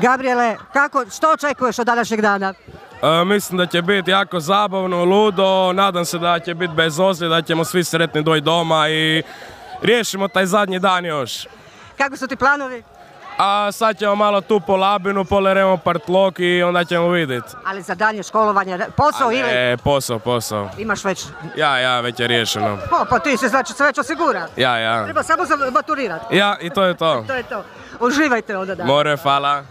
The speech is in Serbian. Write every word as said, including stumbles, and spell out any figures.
Gabriele, kako, što očekuješ od današnjeg dana? E, mislim da će biti jako zabavno, ludo, nadam se da će biti bez ozljeda, da ćemo svi sretni doći doma i riješimo taj zadnji dan još. Kako su ti planovi? A sad ćemo malo tu po Labinu, poleremo partlok i onda ćemo vidjeti. Ali za dalje školovanje, posao ili? E, posao, posao. Imaš već? Ja, ja, već je riješeno. O, pa ti se znači se već osigura. Ja, ja. Treba samo za maturirati. Ja, i to je to. To je to. Uživajte onda da. More, hvala.